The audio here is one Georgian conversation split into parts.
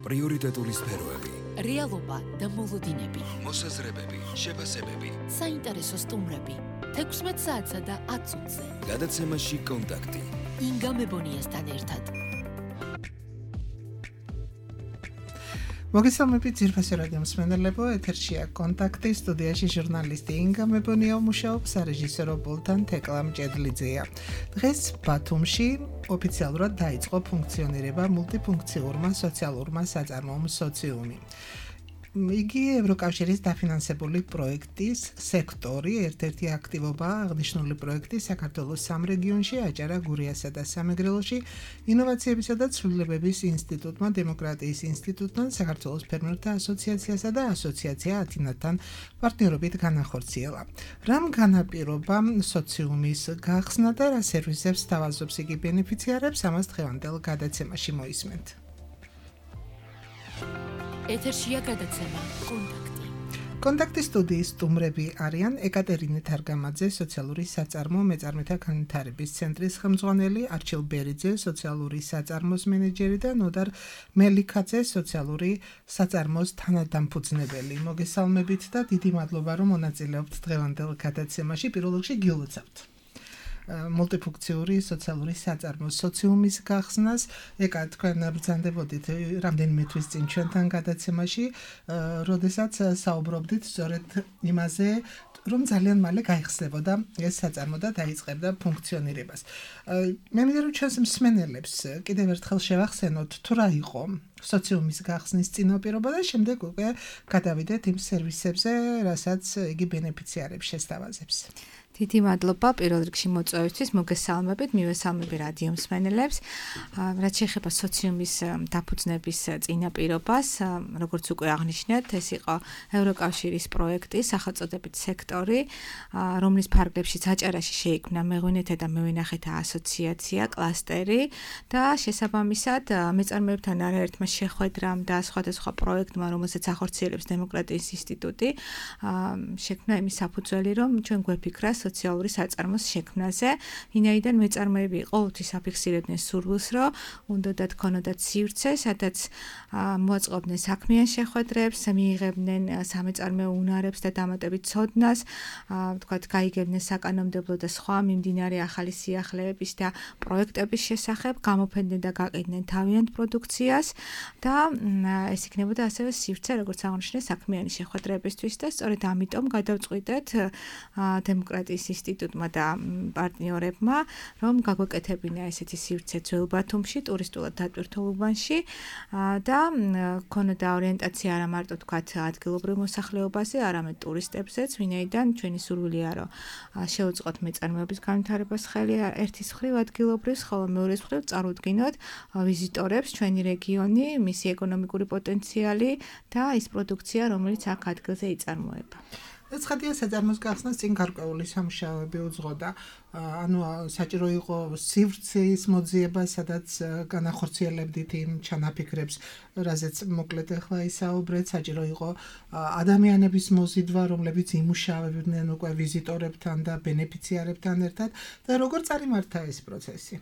პრიორიტეტული სფეროები, რეალობა და მოლოდინები, მოსაზრებები, შეფასებები, საინტერესო სტუმრები, 16 საათსა და 10 წუთზე. გადაცემაში კონტაქტი. ინგა მებონიასთან ერთად. მოგესალმებით ძირფასი რადიო მსმენელებო, ეთერშია კონტაქტი, სტუდიაში ჟურნალისტი ინგა მებონია მუშაობს, რეჟისორო ბოლთან თეკლამ ჭედლიძეა. დღეს ბათუმში ოფიციალურად დაიწყო ფუნქციონირება მულტიფუნქციურმა სოციალურმა საწარმოო სოციუმი. იგი ევროკავშირის დაფინანსებული პროექტის სექტორი, ერთ-ერთი აქტივობა აღნიშნული პროექტი საქართველოს სამ რეგიონში, აჭარა, გურიასა და სამეგრელოში, ინოვაციებისა და ცვლილებების ინსტიტუტმა, დემოკრატიის ინსტიტუტთან, საქართველოს ფერმერთა ასოციაციასა და ასოციაცია ათინათთან პარტნიორობით განახორციელა. რამ განაპირობა სოციუმის გახსნა და რა სერვისებს სთავაზობს იგი ბენეფიციარებს, ამას დღევანდელ გადაცემაში მოისმენთ. ეთერშია გადაცემა კონტაქტი. კონტაქტის სტუდიის სტუმრები არიან ეკატერინე თარგამაძე, სოციალური საწარმო მეწარმეთა განვითარების ცენტრის ხელმძღვანელი, არჩილ ბერიძე, სოციალური საწარმოს მენეჯერი და ნოდარ მელიქაძე, სოციალური საწარმოს თანადამფუძნებელი. მოგესალმებით და დიდი მადლობა, რომ მონაწილეობთ დღევანდელ გადაცემაში. პირველ რიგში გილოცავთ მულტიფუნქციური სოციალური საწარმო სოციუმის გახსნას. ეკა თქვენ ბრძანდებოდით რამდენიმე თვის წინ ჩვენთან გადაცემაში, როდესაც საუბრობდით სწორედ იმაზე, რომ ძალიან მალე გაიხსნებოდა ეს საწარმო და დაიწყებდა ფუნქციონირებას. მე მინდა რომ ჩვენს მსმენელებს კიდევ ერთხელ შევახსენოთ, თუ რა იყო სოციუმის გახსნის წინაპირობა და შემდეგ უკვე გადავიდეთ იმ სერვისებზე, რასაც იგი ბენეფიციარებს შესთავაზებს. დიდი მადლობა პირველ რიგში მოწვევისთვის, მოგესალმებით, მივესალმები რადიო მსმენელებს. რაც შეეხება სოციუმის დაფუძნების წინაპირობას, როგორც უკვე აღნიშნეთ, ეს იყო ევროკავშირის პროექტი, სახელწოდებით სექტორი, რომლის ფარგლებშიც აჭარაში შეიქმნა მეღვინეთა და მევენახეთა ასოციაცია, კლასტერი და შესაბამისად მეწარმეებთან არაერთმა შეხვედრამ და სხვადასხვა პროექტმა, რომელსაც ახორციელებს დემოკრატიის ინსტიტუტი, შექმნა იმის საფუძველი, რომ ჩვენ გვეფიქრა სოციალური საწარმოს შექმნაზე, ვინაიდან მეწარმეები ყოველთვის აფიქსირებდნენ სურვილს, რომ უნდათ ქონოდათ სივრცე, სადაც მოაწყობდნენ საქმიან შეხვედრებს, მიიღებდნენ სამეწარმეო უნარებს და დამატებით ცოდნას, თქვათ, გაიგებდნენ საკანონმდებლო და სხვა მიმდინარე ახალი სიახლეების და პროექტების შესახებ, გამოფენდნენ და გაყიდნენ თავიანთ პროდუქციას და ეს იქნებოდა ასევე სივრცე, როგორც აღნიშნე, საქმიანი შეხვედრებისთვის და სწორედ ამიტომ გადავწყვიტეთ დემოკრატიის ინსტიტუტმა და პარტნიორებმა, რომ გაგვეკეთებინა ესეთი სივრცე ძველ ბათუმში, ტურისტულად დატვირთულ უბანში და ქონოდა ორიენტაცია არა მარტო თქვათ ადგილობრივ მოსახლეობაზე, არამედ ტურისტებზეც, ვინაიდან ჩვენი სურვილია, რომ შევუწყოთ მეწარმეობის განვითარებას ხელი ერთის მხრივ ადგილობრივს, ხოლო მეორეს მხრივ წარუდგინოთ ვიზიტორებს ჩვენი რეგიონი, მისი ეკონომიკური პოტენციალი და ის პროდუქცია, რომელიც აქ ადგილზე იწარმოება. ცხადია საწარმოს გახსნას წინ გარკვეული სამუშაოები უძღოდა, ანუ საჭირო იყო სივრცის მოძიება, სადაც განახორციელებდით იმ ჩანაფიქრებს, რაზეც მოკლედ ახლა ისაუბრეთ, საჭირო იყო ადამიანების მოზიდვა, რომლებიც იმუშავებდნენ უკვე ვიზიტორებთან და ბენეფიციარებთან ერთად და როგორ წარიმართა ეს პროცესი?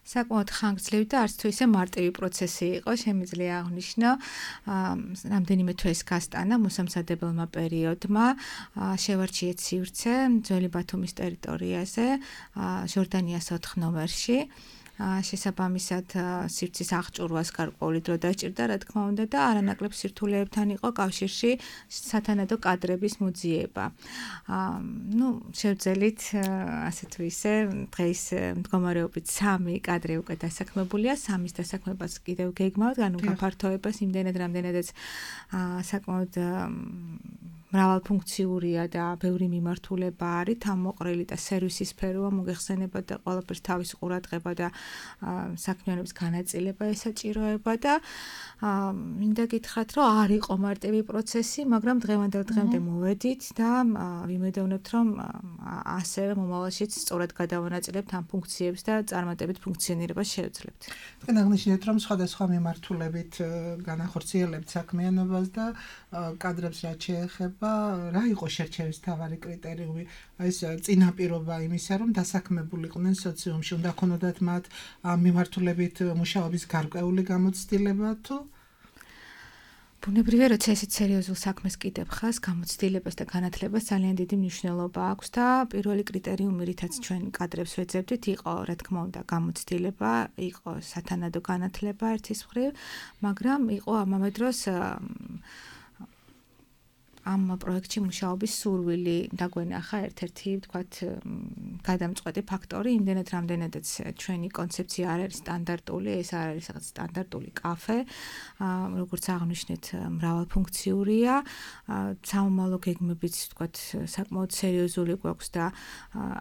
საკმაოდ ხანგრძლივი და არც თუ ისე მარტივი პროცესი იყო, შემიძლია აღნიშნო, რამდენიმე თვეს გასტანა მოსამზადებელმა პერიოდმა, შევარჩიეთ სივრცე ძველი ბათუმის ტერიტორიაზე, ჟორდანიას 4 ნომერში. შესაბამისად სივრცის აღჭურვას გარკვეული დრო დაჭირდა, რა თქმა უნდა და არანაკლებ სირთულეებთან იყო კავშირში სათანადო კადრების მოძიება. შევძელით ასე თუ ისე დღეს მდგომარეობით 3 კადრი უკვე დასაქმებულია, 3-ის დასაქმებას კიდევ გეგმავთ, ანუ გაფართოებას იმდენად, რამდენადაც საკმაოდ მრავალფუნქციურია და ბევრი მიმართულება არის, თავმოყრილი და სერვისის სფეროა, მოგეხსენება და ყველაფერს თავის ყურადღება და საქმიანობის განაწილება ესაჭიროება და მინდა გითხრათ, რომ არ იყო მარტივი პროცესი, მაგრამ დღევანდელ დღემდე მოვედით და ვიმედოვნებთ, რომ ასევე მომავალშიც სწორად გადავანაწილებთ ამ ფუნქციებს და წარმატებით ფუნქციონირებას შევძლებთ. თქვენ აღნიშნეთ, რომ სხვადასხვა მიმართულებით განახორციელებთ საქმიანობას და კადრებს რაც შეეხება, რა იყო შერჩევის მთავარი კრიტერიუმი? ეს წინაპირობა იმისა, რომ დასაქმებულიყვნენ სოციუმში, უნდა ქონოდათ მათ ამ მიმართულებით მუშაობის გარკვეული გამოცდილება თუ? ბუნებრივია, როცა ესეთ სერიოზულ საქმეს კიდებ ხას, გამოცდილებას და განათლებას ძალიან დიდი მნიშვნელობა აქვს და პირველი კრიტერიუმი, რითაც ჩვენ კადრებს ვეძებდით, იყო, რა თქმა უნდა, გამოცდილება, იყო სათანადო განათლება ერთის მხრივ, მაგრამ იყო ამავე დროს ამ პროექტში მუშაობის სურვილი დაგვენახა ერთ-ერთი, ვთქვათ, გადამწყვეტი ფაქტორი, იმდენად რამდენადაც ჩვენი კონცეფცია არ არის სტანდარტული, ეს არ არის რაღაც სტანდარტული კაფე, როგორც აღნიშნეთ, მრავალფუნქციურია, სამომავლო გეგმებიც, ვთქვათ, საკმაოდ სერიოზული გვაქვს და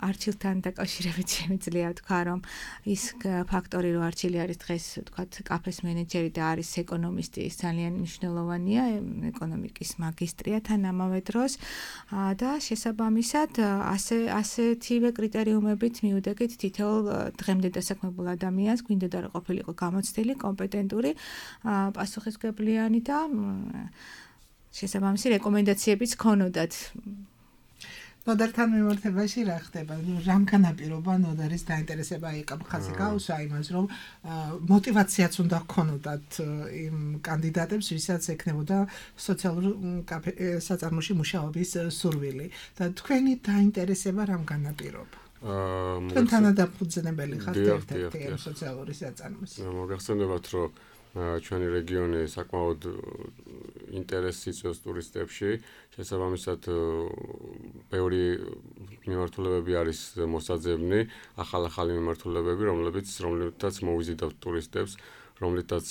არჩილთან დაკავშირებით შემიძლია ვთქვა, რომ ის ფაქტორი, რომ არჩილი არის დღეს, ვთქვათ, კაფეს მენეჯერი და არის ეკონომისტი, ის ძალიან მნიშვნელოვანია, ეკონომიკის მაგისტრია ამავე დროს და შესაბამისად ასეთივე კრიტერიუმებით მივდექით თითოეულ დღემდე დასაქმებულ ადამიანს გვინდა და ყოფილიყო გამოცდილი, კომპეტენტური, პასუხისმგებლიანი და შესაბამისი რეკომენდაციებიც ქონოდათ. ნოდართან მიმართებაში რა ხდება? რამ განაპირობა ნოდარის დაინტერესება ეკამ ხაზი გაუსვა იმას, რომ мотиваციაც უნდა ქონოდათ იმ კანდიდატებს, ვისაც ექნებოდა სოციალურ საწარმოში მუშაობის სურვილი. და თქვენი დაინტერესება რამ განაპირობა? თქვენ თანადამფუძნებელი ხართ ერთ-ერთი სოციალური საწარმოს. მოგახსენებათ, რომ ჩვენი რეგიონი საკმაოდ ინტერესს იწვევს ტურისტებში. შესაბამისად, ბევრი მიმართულებები არის მოსაძებნი, ახალ-ახალი მიმართულებები, რომლებიც მოვიზიდავთ ტურისტებს, რომლითაც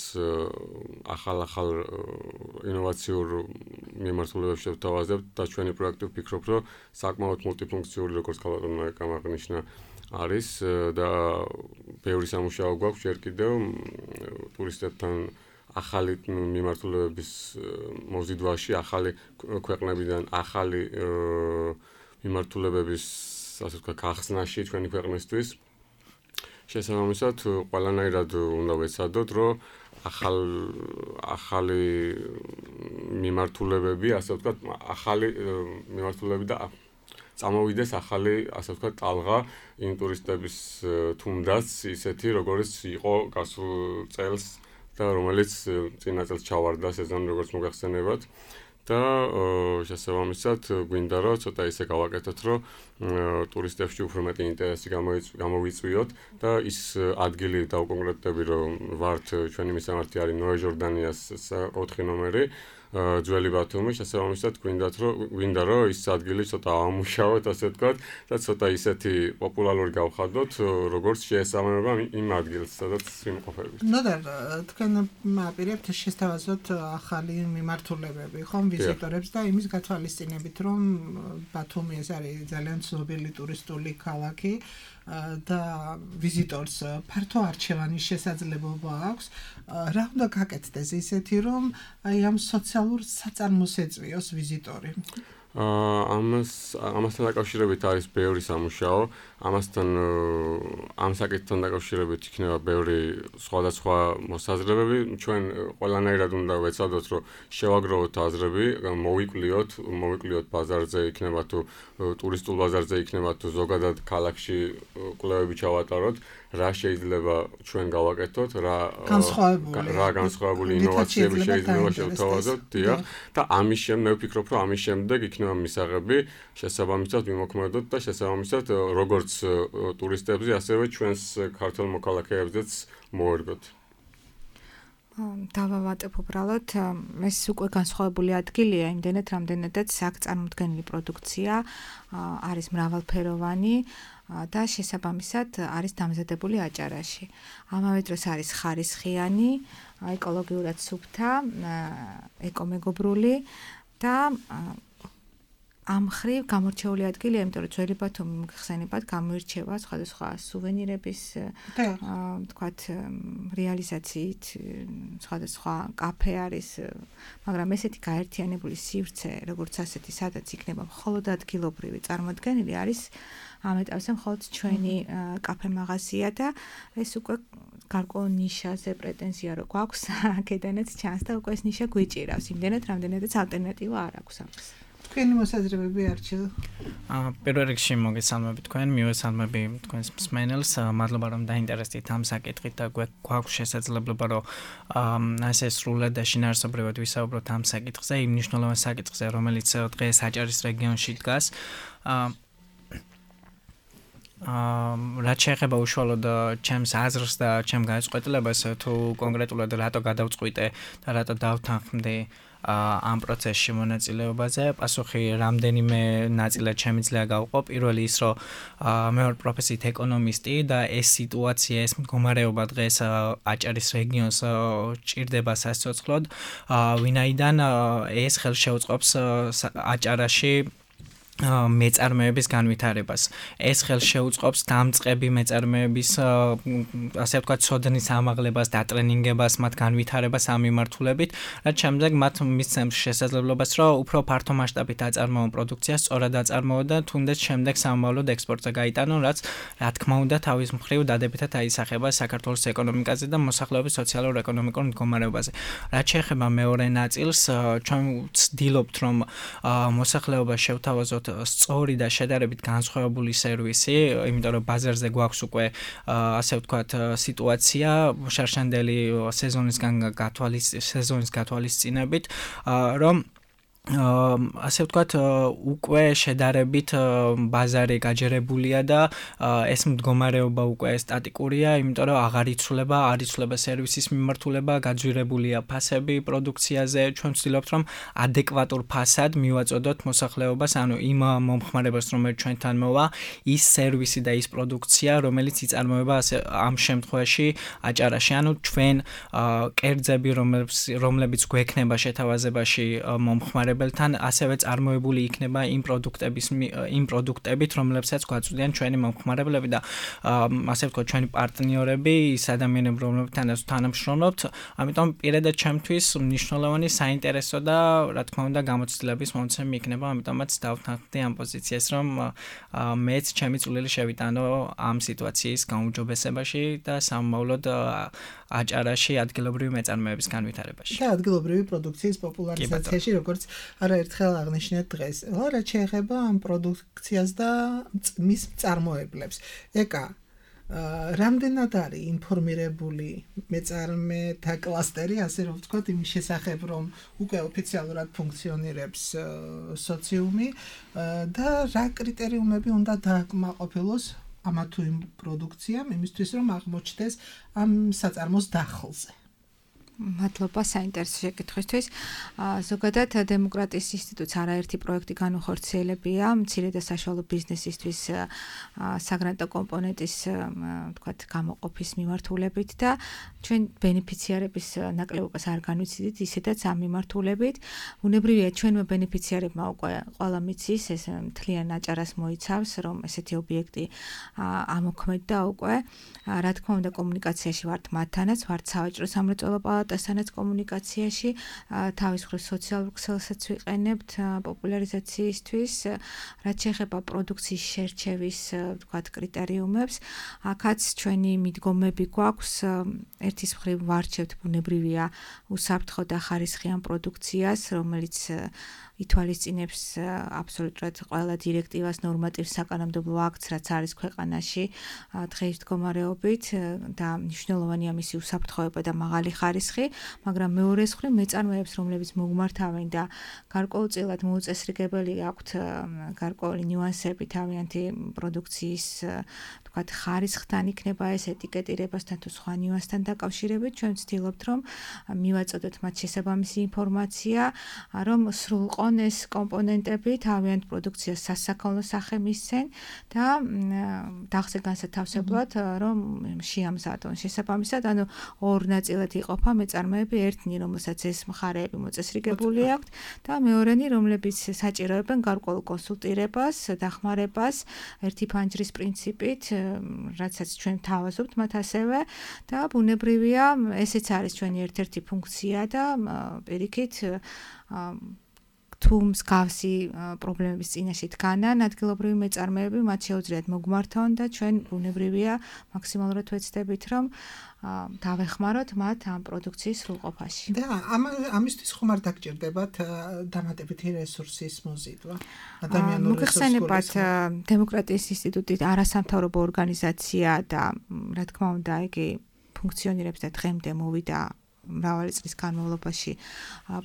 ახალ-ახალ ინოვაციურ მიმართულებებს შევთავაზებთ და ჩვენი პროექტი ვფიქრობ, რომ საკმაოდ მულტიფუნქციური, როგორც ქალბატონმა აღნიშნა, არის და ბევრი სამუშაო გვაქვს ჯერ კიდევ ტურისტებთან ახალი მიმართულებების მოზიდვაში, ახალი ქვეყნებიდან ახალი მიმართულებების, ასე ვთქვათ, გახსნაში ჩვენი ქვეყნისთვის. შესაბამისად, ყველანაირად უნდა ვეცადოთ, რომ ახალი მიმართულებები, ასე ვთქვათ, ახალი მიმართულებები და წამოვიდეს ახალი, ასე ვთქვათ, ტალღა იმ ტურისტების თუნდაც ისეთი, როგორც იყო გასულ წელს და რომელიც წინა წელს ჩავარდა სეზონი, როგორც მოგახსენებათ. და შესაბამისად, გვინდა რომ ცოტა ისე გავაკეთოთ, რომ ტურისტებში უფრო მეტი ინტერესი გამოვიწვიოთ და ის ადგილი დავკონკრეტდები, რომ ვართ ჩვენი მისამართი არის ნოე ჟორდანიას 4 ნომერი. ძველი ბათუმი, შესაბამისად გვინდა რომ ის ადგილი ცოტა ამუშავოთ, ასე ვთქვათ, და ცოტა ისეთი პოპულარული გავხადოთ, როგორც შეესაბამება იმ ადგილს, სადაც ვიმყოფებით. ნოდარ, თქვენ აპირებთ შესთავაზოთ ახალი მიმართულებები, ხომ ვიზიტორებს და იმის გათვალისწინებით, რომ ბათუმი ეს არის ძალიან ცნობილი ტურისტული ქალაქი. და ვიზიტორს ფართო არჩევანის შესაძლებლობა აქვს. რა უნდა გაკეთდეს ისეთი, რომ აი ამ სოციალურ საწარმოს ეწვიოს ვიზიტორი? ამასთან დაკავშირებით არის ბევრი სამუშაო. ამასთან ამ საკითხთან დაკავშირებით იქნება ბევრი სხვადასხვა მოსაზრებები. ჩვენ ყველანაირად უნდა ვეცადოთ, რომ შევაგროვოთ აზრები, მოვიკვლიოთ ბაზარზე, იქნება თუ ტურისტულ ბაზარზე, იქნება თუ ზოგადად ქალაქში კვლევები ჩავატაროთ, რა შეიძლება ჩვენ გავაკეთოთ, რა განსხვავებული ინოვაციები შეიძლება შევთავაზოთ, დიახ, და ამის შემდეგ მე ვფიქრობ, რომ ამის შემდეგ იქნება მისაღები შესაბამისად ვიმოქმედოთ და შესაბამისად როგორც ტურისტებზე, ასევე ჩვენს ქართულ მოქალაქეებზეც მოერგოთ. დავავატებ უბრალოდ, ეს უკვე განსხვავებული ადგილია, იმდენად რამდენადაც აქ წარმოდგენილი პროდუქცია არის მრავალფეროვანი და შესაბამისად არის დამზადებული აჭარაში. ამავე დროს არის ხარისხიანი, ეკოლოგიურად სუფთა, ეკომეგობრული და ამ მხრივ გამორჩეული ადგილია, იმიტომ რომ ძველი ბათუმი მოგხსენებათ, გამოირჩევა სხვადასხვა სუვენირების, ვთქვათ, რეალიზაციით, სხვადასხვა კაფე არის, მაგრამ ესეთი გაერთიანებული სივრცე, როგორც ასეთი, სადაც იქნება მხოლოდ ადგილობრივი წარმოდგენილი, არის ამ ეტაპზე მხოლოდ ჩვენი კაფე მაღაზია და ეს უკვე გარკვეულ ნიშაზე პრეტენზია რო გვაქვს, აქედანაც ჩანს და უკვე ეს ნიშა გვიჭირავს, იმდენად რამდენადაც ალტერნატივა არ აქვს ამას. თქვენი მოსაზრებები არჩილ. პირველ რიგში მოგესალმები თქვენ, მივესალმები თქვენს მსმენელს. მადლობა რომ დაინტერესდით ამ საკითხით და გვაქვს შესაძლებლობა რომ ასე სრულად და შინაარსობრივად ვისაუბროთ ამ საკითხზე, იმ მნიშვნელოვან საკითხზე, რომელიც დღეს აჭარის რეგიონში დგას. რაც შეეხება უშუალოდ ჩემს აზრს და ჩემ განწყობილებას თუ კონკრეტულად რატო გადავწყვიტე და რატო დავთანხმდი ამ პროცესში მონაწილეობაზე, პასუხი რამდენიმე ნაწილად შემიძლია გავყო. პირველი ის, რომ მე ვარ პროფესიით ეკონომისტი და ეს სიტუაცია, ეს მდგომარეობა დღეს აჭარის რეგიონს ჭირდება სასიცოცხლოდ, ვინაიდან ეს ხელშეუწყობს აჭარაში მეწარმეების განვითარებას. ეს ხელშეუწყობს დამწყები მეწარმეების ასე ვთქვათ, ცოდნის ამაღლებას, დატრენინგებას, მათ განვითარებას ამ მიმართულებით, რაც შემდეგ მათ მისცემს შესაძლებლობას, რომ უფრო ფართო მასშტაბით აწარმოონ პროდუქციას, სწორად აწარმოონ და თუნდაც შემდეგ სამომავლოდ ექსპორტზე გაიტანონ, რაც რა თქმა უნდა თავის მხრივ დადებითად აისახება საქართველოს ეკონომიკაზე და მოსახლეობის სოციალურ-ეკონომიკურ მდგომარეობაზე. რაც შეეხება მეორე ნაწილს, ჩვენ ვცდილობთ, რომ მოსახლეობა შევთავაზოთ სწორი და შედარებით განსხვავებული სერვისი, იმიტომ რომ ბაზარზე გვაქვს უკვე ასე ვთქვათ სიტუაცია შარშანდელი სეზონის გათვალისწინებით, რომ ასე ვთქვათ უკვე შედარებით ბაზარი გაჯერებულია და ეს მდგომარეობა უკვე სტატიკურია, იმიტომ რომ არ იცვლება სერვისის მიმართულება, გაძვირებულია ფასები პროდუქციაზე. ჩვენ ვცდილობთ რომ ადეკვატურ ფასად მივაწოდოთ მოსახლეობას, ანუ იმ მომხმარებას, რომელიც ჩვენთან მოვა, ის სერვისი და ის პროდუქცია, რომელიც იწარმოება ამ შემთხვევაში აჭარაში, ანუ ჩვენ კერძები, რომლებიც გვექნება შეთავაზებაში მომხმარებელთან, ასევე წარმოებული იქნება იმ პროდუქტებით, რომლებსაც გვაწვდიან ჩვენი მომხმარებლები და ასე ვთქვათ, ჩვენი პარტნიორები, ის ადამიანები, რომლებთანაც თანამშრომლობთ. ამიტომ პირადად ჩემთვის მნიშვნელოვანი საინტერესო და რა თქმა უნდა გამოცდილების მომცემი იქნება, ამიტომაც დავთანხმდი ამ პოზიციას, რომ მეც ჩემი წვლილი შევიტანო ამ სიტუაციის გაუმჯობესებაში და სამომავლოდ აჭარაში ადგილობრივი მეწარმეების განვითარებაში. და ადგილობრივი პროდუქციის პოპულარიზაციაში, როგორც არაერთხელ აღნიშნეთ დღეს. რაც შეეხება ამ პროდუქციას და მის მწარმოებლებს. ეკა რამდენად არის ინფორმირებული მეწარმეთა კლასტერი, ასე რომ ვთქვათ, იმის შესახებ, რომ უკვე ოფიციალურად ფუნქციონირებს სოციუმი და რა კრიტერიუმები უნდა დააკმაყოფილოს ამა თუ იმ პროდუქციამ, იმისთვის რომ აღმოჩნდეს ამ საწარმოს დახელზე. მადლობა საინტერესო შეკითხვისთვის. ზოგადად დემოკრატიის ინსტიტუტს არაერთი პროექტი განუხორციელებია მცირე და საშუალო ბიზნესისთვის საგრანტო კომპონენტის ვთქვათ გამოყოფის მიმართულებით და ჩვენ ბენეფიციარების ნაკლებობას არ განვიცდით ისედაც ამ მიმართულებით. უნებრივია ჩვენმა ბენეფიციარებმა უკვე ყველა მიცის ეს მთლიან აჭარას მოიცავს, რომ ესეთი ობიექტი ამოქმედდა უკვე. რა თქმა უნდა კომუნიკაციაში ვართ მათთანაც, ვართ სავაჭრო სამრეწველო პალატასთანაც კომუნიკაციაში, თავის მხრივ სოციალურ ქსელსაც ვიყენებთ პოპულარიზაციისთვის, რაც შეეხება პროდუქციის შერჩევის ვთქვათ კრიტერიუმებს. აქაც ჩვენი მიდგომები გვაქვს, ერთის მხრივ ვარჩევთ ბუნებრივია უსაფრთხო და ხარისხიან პროდუქციას, რომელიც ითვალისწინებს აბსოლუტურად ყველა დირექტივას, ნორმატივს, საკანონმდებლო აქტს, რაც არის ქვეყანაში დღეის მდგომარეობით და მნიშვნელოვანია მისი უსაფრთხოება და მაღალი ხარისხი, მაგრამ მეორეს მხრივ მეწარმეებს, რომლებიც მოგმართავენ და გარკვეულწილად მოუწესრიგებელი აქვთ გარკვეული ნიუანსები თავიანთი პროდუქციის ვთქვათ ხარისხთან იქნება ეს ეტიკეტირებასთან თუ სხვა ნიუანსთან დაკავშირებით, ჩვენ ვცდილობთ რომ მივაწოდოთ მათ შესაბამისი ინფორმაცია, რომ სრულყო ეს კომპონენტები თავიანთ პროდუქციას სასაქონლო სახე მისცენ და დახზე განსათავსებლად რომ შეამზადონ შესაბამისად, ანუ ორ ნაწილად იყოფა მეწარმეები, ერთნი რომელსაც ეს მხარეები მოწესრიგებული აქვთ და მეორენი რომლებიც საჭიროებენ გარკვეულ კონსულტირებას, დახმარებას ერთი ფანჯრის პრინციპით, რაცაც ჩვენ თავაზობთ მათ ასევე და ბუნებრივია ესეც არის ჩვენი ერთ-ერთი ფუნქცია და პირიქით თუ მსგავსი პრობლემების წინაშე დგანან ადგილობრივი მეწარმეები, მათ შეუძლიათ მოგმართონ და ჩვენ ბუნებრივია მაქსიმალურად ვეცდებით, რომ დავეხმაროთ მათ ამ პროდუქციის სრულყოფაში. და ამისთვის ხომ არ დაგჭირდებათ დამატებითი რესურსის მოზიდვა? ადამიანური მოგეხსენებათ დემოკრატიის ინსტიტუტი არასამთავრობო ორგანიზაცია და რა თქმა უნდა იგი ფუნქციონირებს და დღემდე მოვიდა მრავალი წლის განმავლობაში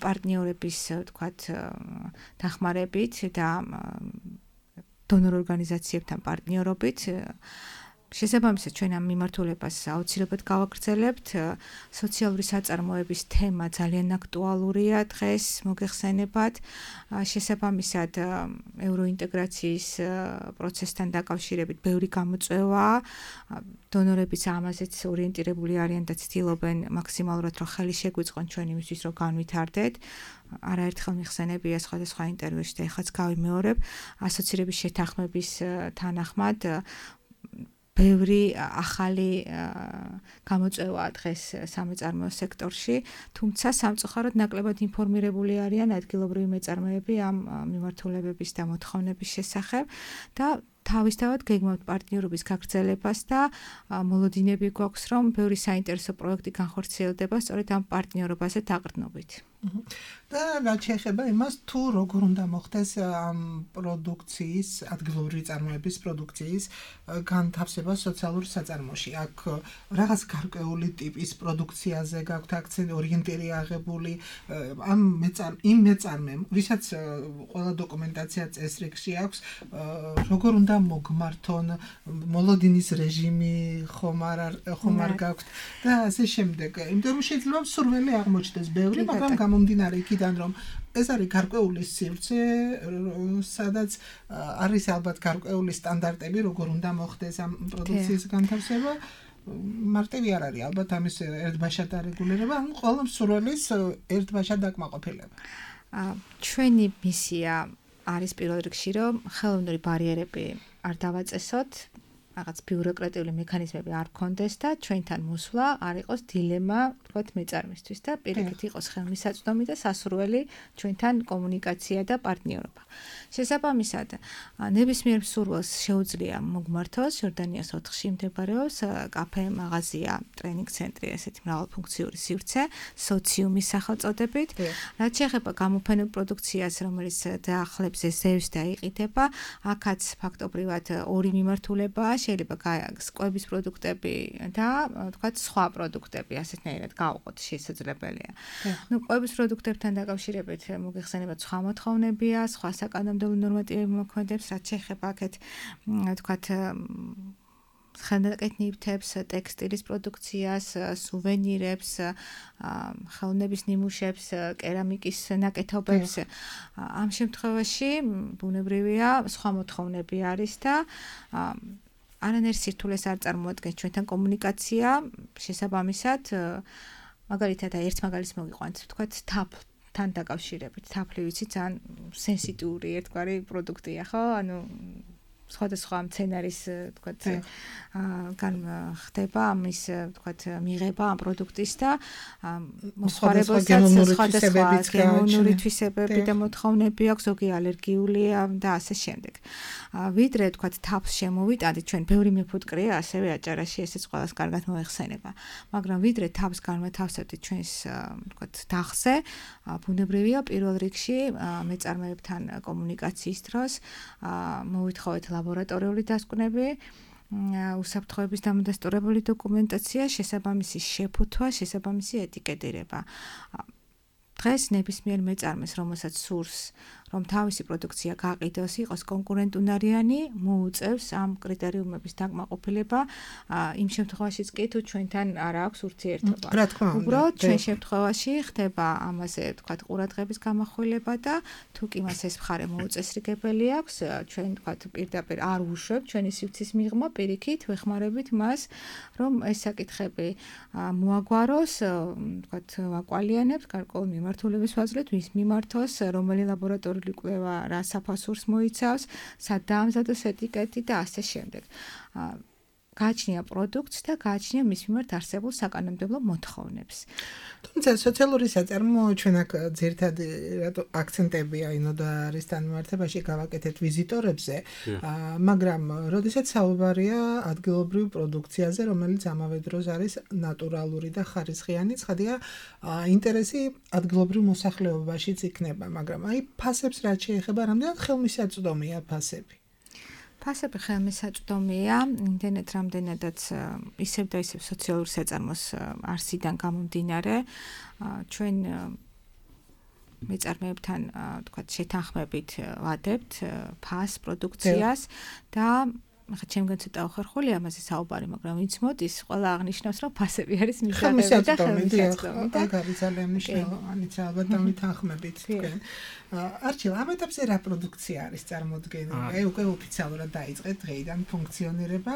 პარტნიორების ვთქვათ დახმარებით და დონორ ორგანიზაციებთან პარტნიორობით შესაბამისად ჩვენ ამ მიმართულებას აუცილებლად გავაგრძელებთ. სოციალური საწარმოების თემა ძალიან აქტუალურია დღეს, მოგეხსენებათ. შესაბამისად ევროინტეგრაციის პროცესთან დაკავშირებით ბევრი გამოწვევაა. დონორებიც ამაზეც ორიენტირებული არიან და ცდილობენ მაქსიმალურად რომ ხელი შეგვიწყონ ჩვენ იმისთვის რომ განვითარდეთ. არაერთხელ მიხსენებია სხვადასხვა ინტერვიუში და ეხლაც გავიმეორებ ასოცირების შეთანხმების თანახმად ბევრი ახალი გამოწვევაა დღეს სამეწარმეო სექტორში, თუმცა სამწუხაროდ ნაკლებად ინფორმირებული არიან ადგილობრივი მეწარმეები ამ მიმართულებების და მოთხოვნების შესახებ და თავისთავად გეგმავთ პარტნიორობის გაგრძელებას და მოლოდინები გვაქვს, რომ ბევრი საინტერესო პროექტი განხორციელდება სწორედ ამ პარტნიორობაზე დაყრდნობით. და რაც შეეხება იმას, თუ როგორ უნდა მოხდეს ამ პროდუქციის, ადგილობრივი წარმოების პროდუქციის განთავსება სოციალურ საწარმოში. აქ რაღაც გარკვეული ტიპის პროდუქციაზე გაქვთ აქცენტი, ორიენტირი აღებული ამ იმ მეწარმემ, ვისაც ყველა დოკუმენტაცია წესრიგში აქვს, როგორ უნდა მოგმართონ, მოლოდინის რეჟიმი ხომ არ გაქვთ და ასე შემდეგ. იმიტომ რომ შეიძლება სურვილი აღმოჩნდეს ბევრი, მაგრამ გამომდინარე იქიდან რომ ეს არის გარკვეული სივრცე, სადაც არის ალბათ გარკვეული სტანდარტები, როგორ უნდა მოხდეს ამ პროდუქციის განთავსება. მარტივი არ არის ალბათ ამის ერთბაშად არეგულირება, ან ყველა მსურველის ერთბაშად დაკმაყოფილება. ჩვენი მისია არის პირველ რიგში, რომ ხელოვნური ბარიერები არ დავაწესოთ, რაღაც ბიუროკრატიული მექანიზმები არ გქონდეს და ჩვენთან მოსვლა არ იყოს დილემა, თქვათ, მეწარმისთვის და პირიქით იყოს ხელმისაწვდომი და სასურველი ჩვენთან კომუნიკაცია და პარტნიორობა. შესაბამისად, ნებისმიერ მსურველს შეუძლია მოგმართოს ჟორდანიას 4-ში მდებარეობს კაფე, მაღაზია, ტრენინგ ცენტრი, ესეთი მრავალფუნქციური სივრცე, სოციუმის სახელწოდებით. რაც შეეხება გამოფენილ პროდუქციას, რომელიც დაახლოებით ზევს დაიყიდება, აქაც ფაქტობრივად ორი მიმართულებაა, შეიძლება კვების პროდუქტები და თქვათ სხვა პროდუქტები, ასეთნაირად გავყოთ შესაძლებელია. კვების პროდუქტებთან დაკავშირებით მოგეხსენებათ სხვა მოთხოვნებია, სხვა საკანონმდებლო ნორმატივები მოქმედებს, რაც შეეხება აქეთ თქვათ ხელნაკეთნიებებს, ტექსტილის პროდუქციას, სუვენირებს, ხელოვნების ნიმუშებს, კერამიკის ნაკეთობებს. ამ შემთხვევაში ბუნებრივია სხვა მოთხოვნები არის და არანაირ სირთულეს არ წარმოადგენს ჩვენთან კომუნიკაცია, შესაბამისად, მაგალითად ერთ მაგალითს მოგიყვანთ, თქვათ თაფლთან დაკავშირებით. თაფლი ვიცი ძალიან სენსიტიური ერთგვარი პროდუქტია, ხო? ანუ სხვადასხვა მცენარის, თქვათ, ხდება ამის, თქვათ, მიღება ამ პროდუქტის და მოსხმარებელსაც სხვადასხვა გენომური თვისებები და მოთხოვნები აქვს, ზოგი ალერგიულია და ასე შემდეგ. ვიდრე, თქვათ, თაფლს შემოვიტანთ, ჩვენ ბევრი მეფუტკრია ასევე აჭარაში, ესეც ყველას კარგად მოეხსენება. მაგრამ ვიდრე თაფლს განვათავსებთ ჩვენს, თქვათ, დახზე, ბუნებრივია პირველ რიგში მეწარმეებთან კომუნიკაციის დროს მოვითხოვეთ ლაბორატორიული დასკვნები, უსაფრთხოების დამადასტურებელი დოკუმენტაცია, შესაბამისი შეფუთვა, შესაბამისი ეტიკეტირება. დღეს ნებისმიერ მეწარმეს, რომელსაც სურს, რომ თავისი პროდუქცია გაყიდოს, იყოს კონკურენტუნარიანი, მოუწევს ამ კრიტერიუმების დაკმაყოფილება, იმ შემთხვევაშიც კი თუ ჩვენთან არ აქვს ურთიერთობა. რა თქმა უნდა. უბრალოდ ჩვენ შემთხვევაში ხდება ამაზე, თქვათ, ყურადღების გამახვილება და თუ კი მას ეს მხარე მოუწესრიგებელი აქვს, ჩვენ, თქვათ, პირდაპირ არ უშვებთ ჩვენი სივრცის მიღმა, პირიქით ვეხმარებით მას, რომ ეს საკითხები მოაგვაროს, თქვათ, ვაკვალიანებთ გარკვეულ მიმართულების ფაზრით, ვის მიმართოს, რომელი ლაბორატორიული კვლევა რა საფასურს მოიცავს, სად დაამზადოს ეტიკეტი და ასე შემდეგ. გააჩნია პროდუქტს და გააჩნია მის მიმართ არსებულ საკანონმდებლო მოთხოვნებს. თუმცა სოციალური საწარმო ჩვენ აქ ძირითადი აქცენტები და არის თანმიმართებაში გავაკეთეთ ვიზიტორებზე, მაგრამ როდესაც საუბარია ადგილობრივ პროდუქციაზე, რომელიც ამავე დროს არის ნატურალური და ხარისხიანი, ცხადია, ინტერესი ადგილობრივ მოსახლეობაშიც იქნება, მაგრამ ფასებს რაც შეეხება, რამდენად ხელმისაწვდომია ფასები? ფასები ხელმისაწვდომია, იმდენად რამდენადაც ისევ და ისევ სოციალური საწარმოს არსიდან გამომდინარე, ჩვენ მეწარმეებთან თქვათ შეთანხმებით ვადებთ ფას პროდუქციას და ახლა ჩემგან ცოტა უხერხული ამაზე საუბარი, მაგრამ ვინც მოდის, ყველა აღნიშნავს, რომ ფასები არის მისაღები და ხელმისაწვდომი და აქ არის ძალიან მნიშვნელოვანი ალბათ დამითანხმებით თქვენ. არჩილ, ამ ეტაპზე რა პროდუქცია არის წარმოდგენილი? უკვე ოფიციალურად დაიწყეთ დღეიდან ფუნქციონირება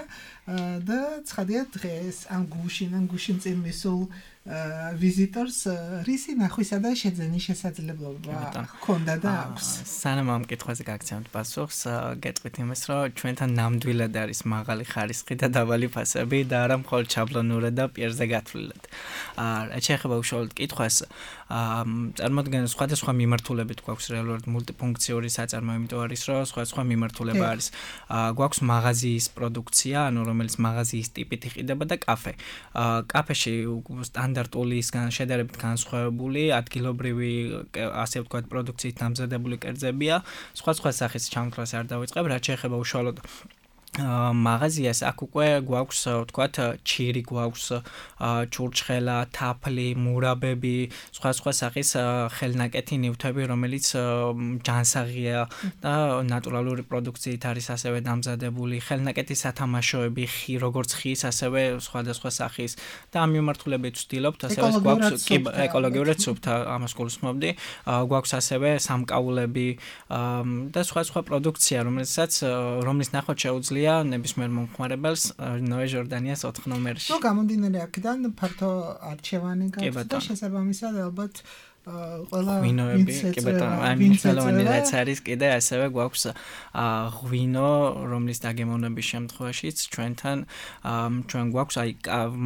და ცხადია დღეს ამ გუშინ წინ მისულ ვიზიტორს რისი ნახვისა და შეძენის შესაძლებლობა ჰქონდა და აქვს? სანამ ამ კითხვაზე გაგცემთ პასუხს, გეტყვით იმას, რომ ჩვენთან ნამდვილად არის მაღალი ხარისხი და დაბალი ფასები და არა მხოლოდ შაბლონურად და პირზე გათვლილად. რაც შეეხება უშუალოდ კითხვას, წარმოადგენს სხვადასხვა მიმართულებით გვაქვს რეალურად მულტიფუნქციური საწარმო, იმიტომ არის, რომ სხვადასხვა მიმართულება არის. გვაქვს მაღაზიის პროდუქცია, ანუ რომელიც მაღაზიის ტიპით იყიდება და კაფე. კაფეში სტანდარტული შედარებით განსხვავებული ადგილობრივი ასე ვთქვათ პროდუქციით დამზადებული კერძებია. სხვა სახის ჩამთვლას არ დავიწყებ, რაც შეეხება უშუალოდ მაღაზიას, აქ უკვე გვაქვს ვთქვათ ჩირი, გვაქვს ჩურჩხელა, თაფლი, მურაბები, სხვა სახის ხელნაკეთი ნივთები, რომელიც ჯანსაღია და ნატურალური პროდუქციით არის ასევე დამზადებული, ხელნაკეთის სათამაშოები, როგორც ხის, ასევე სხვადასხვა სახის და ამ მიმართულებით ვცდილობთ, ასევე გვაქვს ეკოლოგიურად სუფთა, ამას გულისხმობდი, გვაქვს ასევე სამკაულები და სხვა პროდუქცია, რომლის ნახვა შეუძლია ნებისმიერ მომხმარებელს ნოე ჟორდანიას 4 ნომერში. გამომდინარე აქედან ფართო არჩევანი გაქვს და შესაბამისად ალბათ ყველა ღვინოები, კი ბატონო, აი მნიშვნელოვანი რაც არის კიდე ასევე გვაქვს ღვინო, რომლის დაგემოვნების შემთხვევაშიც ჩვენ გვაქვს აი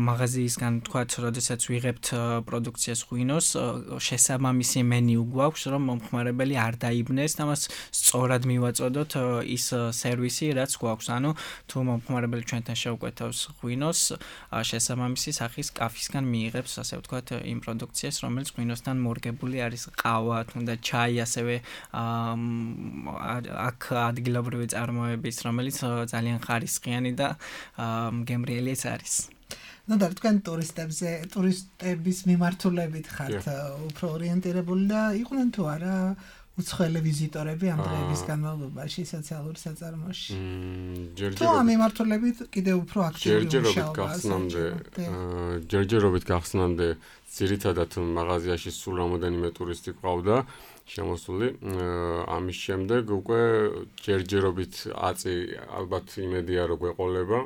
მაღაზიისგან თქვათ, როდესაც ვიღებთ პროდუქციას ღვინოს, შესაბამისი მენიუ გვაქვს, რომ მომხმარებელი არ დაიბნეს და მას სწორად მივაწოდოთ ის სერვისი, რაც გვაქვს. ანუ თუ მომხმარებელი ჩვენთან შეუკვეთავს ღვინოს, შესაბამისი სახის კაფისგან მიიღებს, ასე ვთქვათ, იმ პროდუქციას, რომელიც ღვინოსთან მორგებული არის, ყავა, თუნდაც ჩაი, ასევე აქ ადგილობრივი წარმოების, რომელიც ძალიან ხარისხიანი და გემრიელიც არის. და თქვენ ტურისტების მიმართულებით ხართ უფრო ორიენტირებული და იყვნენ თუ არა უცხოელი ვიზიტორები ამ დღეების განმავლობაში სოციალურ საწარმოში? თუ ამ მიმართულებით კიდევ უფრო აქტიური ჯერჯერობით გახსნამდე ძირითადად მაღაზიაში სულ რამოდენიმე ტურისტი ყავდა შემოსული. ამის შემდეგ უკვე ჯერჯერობით აწი ალბათ იმედია რომ გვეყოლება.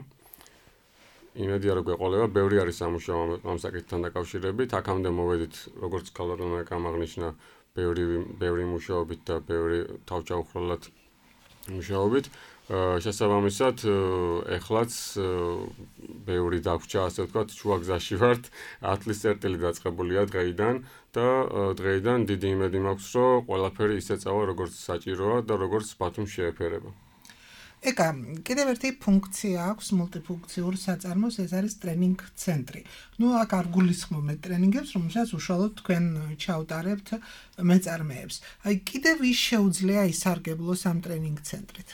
ბევრი არის სამუშაო ამ საკითხთან დაკავშირებით. აქამდე მოვედით, როგორც ქალბატონმა აღნიშნა, ბევრი მუშაობით და ბევრი თავჩაუხროლად მუშაობით. შესაბამისად, ეხლაც ბევრი დაგვჭა, ასე ვთქვათ, შუაგზაში ვართ, ათლის წერტილი დაწყებულია დღეიდან და დღეიდან დიდი იმედი მაქვს, რომ ყველაფერი ისე წავა, როგორც საჭიროა და როგორც ბათუმს შეეფერება. ეკა, კიდევ ერთი ფუნქცია აქვს მულტიფუნქციურ საწარმოს, ეს არის ტრენინგ ცენტრი. აქ არ გულისხმობთ ტრენინგებს, რომელსაც უშუალოდ თქვენ ჩაუტარებთ მეწარმეებს. აი, კიდევ ის შეუძლია ისარგებლოს ამ ტრენინგ ცენტრით?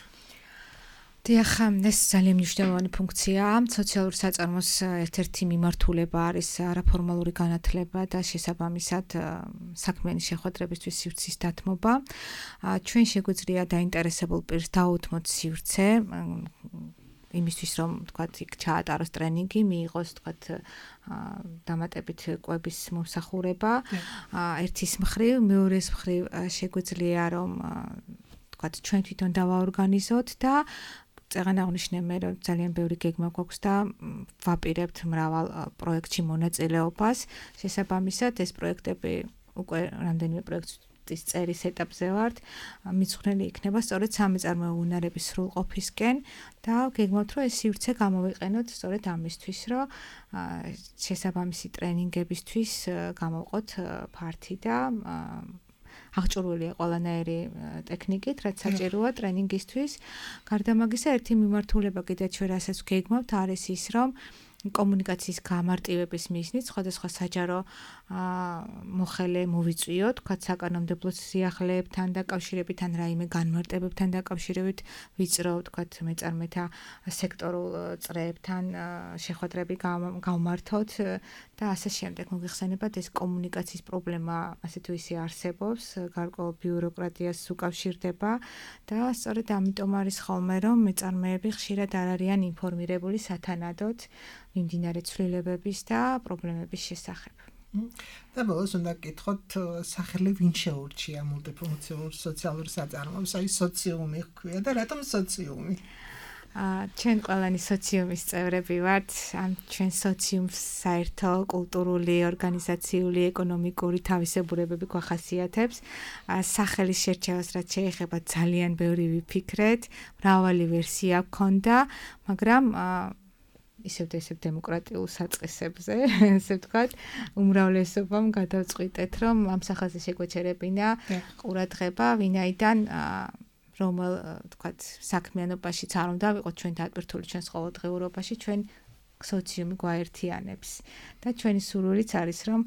დიახ, ეს ძალიან მნიშვნელოვანი ფუნქციაა. სოციალურ საწარმოს ერთ-ერთი მიმართულება არის არაფორმალური განათლება და შესაბამისად საქმიანი შეხვედრებისთვის სივრცის დათმობა. ჩვენ შეგვიძლია დაინტერესებულ პირს დაუთმოთ სივრცე იმისთვის, რომ თქვათ, იქ ჩაატაროს ტრენინგი, მიიღოს თქვათ დამატებით კვების მომსახურება. ერთის მხრივ, მეორეს მხრივ შეგვიძლია რომ თქვათ, ჩვენ თვითონ დავაორგანიზოთ და წეგან აღნიშნე მე რომ ძალიან ბევრი გეგმა გვაქვს და ვაპირებთ მრავალ პროექტში მონაწილეობას. შესაბამისად ეს პროექტები უკვე რამდენიმე პროექტს პროექტის წერის ეტაპზე ვართ. მიცხრილი იქნება სწორედ სამეწარმეო უნარების სრულყოფისკენ და გეგმავთ, რომ ეს სივრცე გამოვიყენოთ სწორედ ამისთვის, რომ შესაბამისი ტრენინგებისთვის გამოვყოთ ფართი და აღჭურვილია ყველანაირი ტექნიკით, რაც საჭიროა ტრენინგისთვის. გარდა ამისა, ერთი მიმართულება კიდეც ჩვენ რასაც გეგმავთ, არის ის, რომ კომუნიკაციის გამარტივების მიზნით სხვადასხვა საჯარო მოხელე მოვიწვიოთ, თქვათ საკანონმდებლო სიახლეებთან დაკავშირებით ან რაიმე განმარტებებთან დაკავშირებით ვიწრო, თქვათ მეწარმეთა სექტორულ წრეებთან შეხვედრები გავმართოთ და ასე შემდეგ. მოგიხსენებათ, ეს კომუნიკაციის პრობლემა ასე თუ ისე არსებობს, გარკვეულ ბიუროკრატიას უკავშირდება და სწორედ ამიტომ არის ხოლმე, რომ მეწარმეები ხშირად არ არიან ინფორმირებული სათანადოდ მიმდინარე ცვლილებების და პრობლემების შესახებ. და ბოლოს უნდა გკითხოთ, სახელი ვინ შეურჩია მულტიფუნქციურ სოციალურ საწარმოებს, აი სოციუმი ჰქვია და რატომ სოციუმი? ჩვენ ყველანი სოციუმის წევრები ვართ. ამ ჩვენ სოციუმს საერთო კულტურული, ორგანიზაციული, ეკონომიკური თავისებურებები გვახასიათებს. სახელის შერჩევას რაც შეეხება ძალიან ბევრი ვიფიქრეთ, მრავალი ვერსია გვქონდა, მაგრამ ისევ დემოკრატიულ საწყისებზე, ესე ვთქვათ, უმრავლესობამ გადავწყვიტეთ, რომ ამ სახელზე შეგვეჩერებინა ყურადღება, ვინაიდან რომელ, ვთქვათ, საქმიანობაშიც არ უნდა ვიყოთ ჩვენ დატვირთული ჩვენს ყოველდღიურობაში, ჩვენ სოციუმი გვაერთიანებს და ჩვენი სურვილიც არის, რომ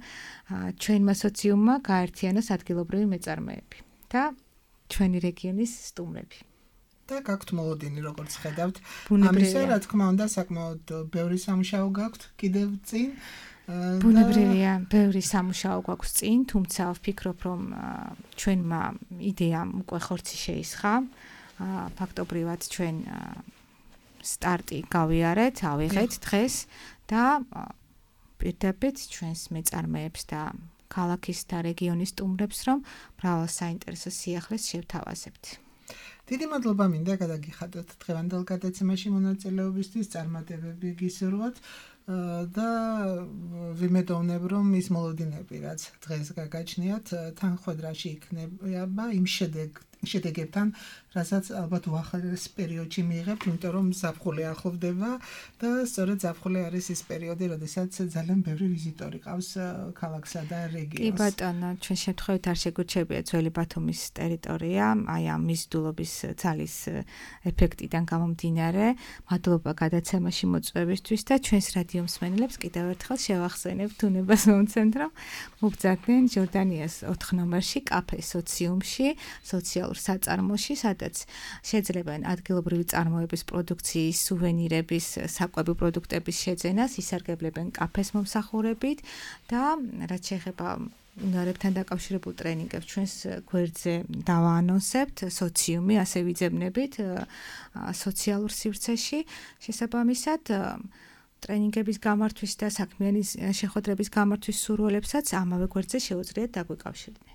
ჩვენმა სოციუმმა გაერთიანოს ადგილობრივი მეწარმეები და ჩვენი რეგიონის სტუმრები. და გაქვთ მოლოდინი, როგორც ხედავთ. ამისა, რა თქმა უნდა, საკმაოდ ბევრი სამუშაო გაქვთ კიდევ წინ. ბუნებრივია, ბევრი სამუშაო გვაქვს წინ, თუმცა ვფიქრობ, რომ ჩვენმა იდეამ უკვე ხორცი შეისხა. ფაქტობრივად ჩვენ სტარტი გავიარეთ, ავიღეთ დღეს და პირდაპირ ჩვენს მეწარმეებს და ქალაქის და რეგიონის სტუმრებს, რომ მრავალ საინტერესო სიახლეს შევთავაზებთ. დიდი მადლობა მინდა გადაგიხადოთ დღევანდელ გადაცემაში მონაწილეობისთვის, წარმატებები გისურვოთ და ვიმედოვნებ, რომ ის მოლოდინები, რაც დღეს გაგაჩნიათ, თანხმედრაში იქნება იმ შედეგებთან, რასაც ალბათ უახლოეს პერიოდში მიიღებთ, იმიტომ რომ ზაფხული ახლოვდება და სწორედ ზაფხული არის ის პერიოდი, როდესაც ძალიან ბევრი ვიზიტორი ყავს ქალაქსა და რეგიონს. კი ბატონო, ჩვენ შემთხვევით არ შეგვირჩებია ძველი ბათუმის ტერიტორია, აი ამ მიზიდულობის ძალის ეფექტიდან გამომდინარე. მადლობა გადაცემაში მოწვევისთვის და ჩვენს რადიო მსმენელებს კიდევ ერთხელ შევახსენებთ უნებას მომცემთ, რომ მოგზავნიან ჟორდანიას 4 ნომერში, კაფე სოციუმში, სოციალურ საწარმოში, სადაც შეძლებენ ადგილობრივი წარმოების პროდუქციის, სუვენირების, საკვები პროდუქტების შეძენას, ისარგებლებენ კაფეს მომსახურებით და რაც შეეხება უნარებთან დაკავშირებულ ტრენინგებს ჩვენს გვერდზე დავაანონსებთ, სოციუმი ასე ვიძებნებით სოციალურ სივრცეში. შესაბამისად ტრენინგების გამართვის და საქმიანი შეხვედრების გამართვის სურვილებსაც ამავე გვერდზე შეუძლიათ დაგვიკავშირდნენ.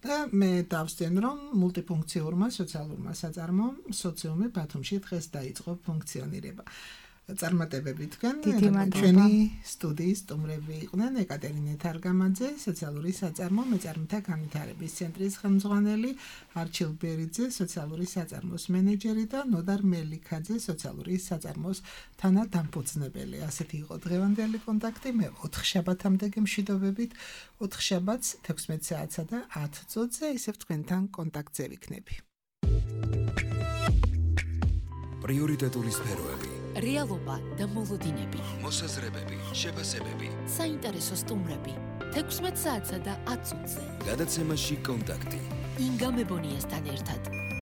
და მე დავსწენ, რომ მულტიფუნქციურმა სოციალურმა საწარმომ სოციუმი ბათუმში დღეს დაიწყო ფუნქციონირება. წარმატებები თქვენ, ჩვენი სტუდიის სტუმრები იყვნენ ეკატერინე თარგამაძე, სოციალური საწარმო მეწარმეთა განვითარების ცენტრის ხელმძღვანელი, არჩილ ბერიძე, სოციალური საწარმოს მენეჯერი და ნოდარ მელიქაძე, სოციალური საწარმოს თანადამფუძნებელი. ასეთი იყო დღევანდელი კონტაქტი. მე 4 შაბათამდე გემშვიდობებით, 4 შაბათს 16 საათსა და 10 წუთზე ისევ თქვენთან კონტაქტზე ვიქნები. პრიორიტეტული სფეროები, რეალობა და მოლოდინები, მოსაზრებები, შეფასებები, საინტერესო სტუმრები, 16 საათსა და 10 წუთზე. გადაცემაში კონტაქტი. ინგა მებონიასთან ერთად.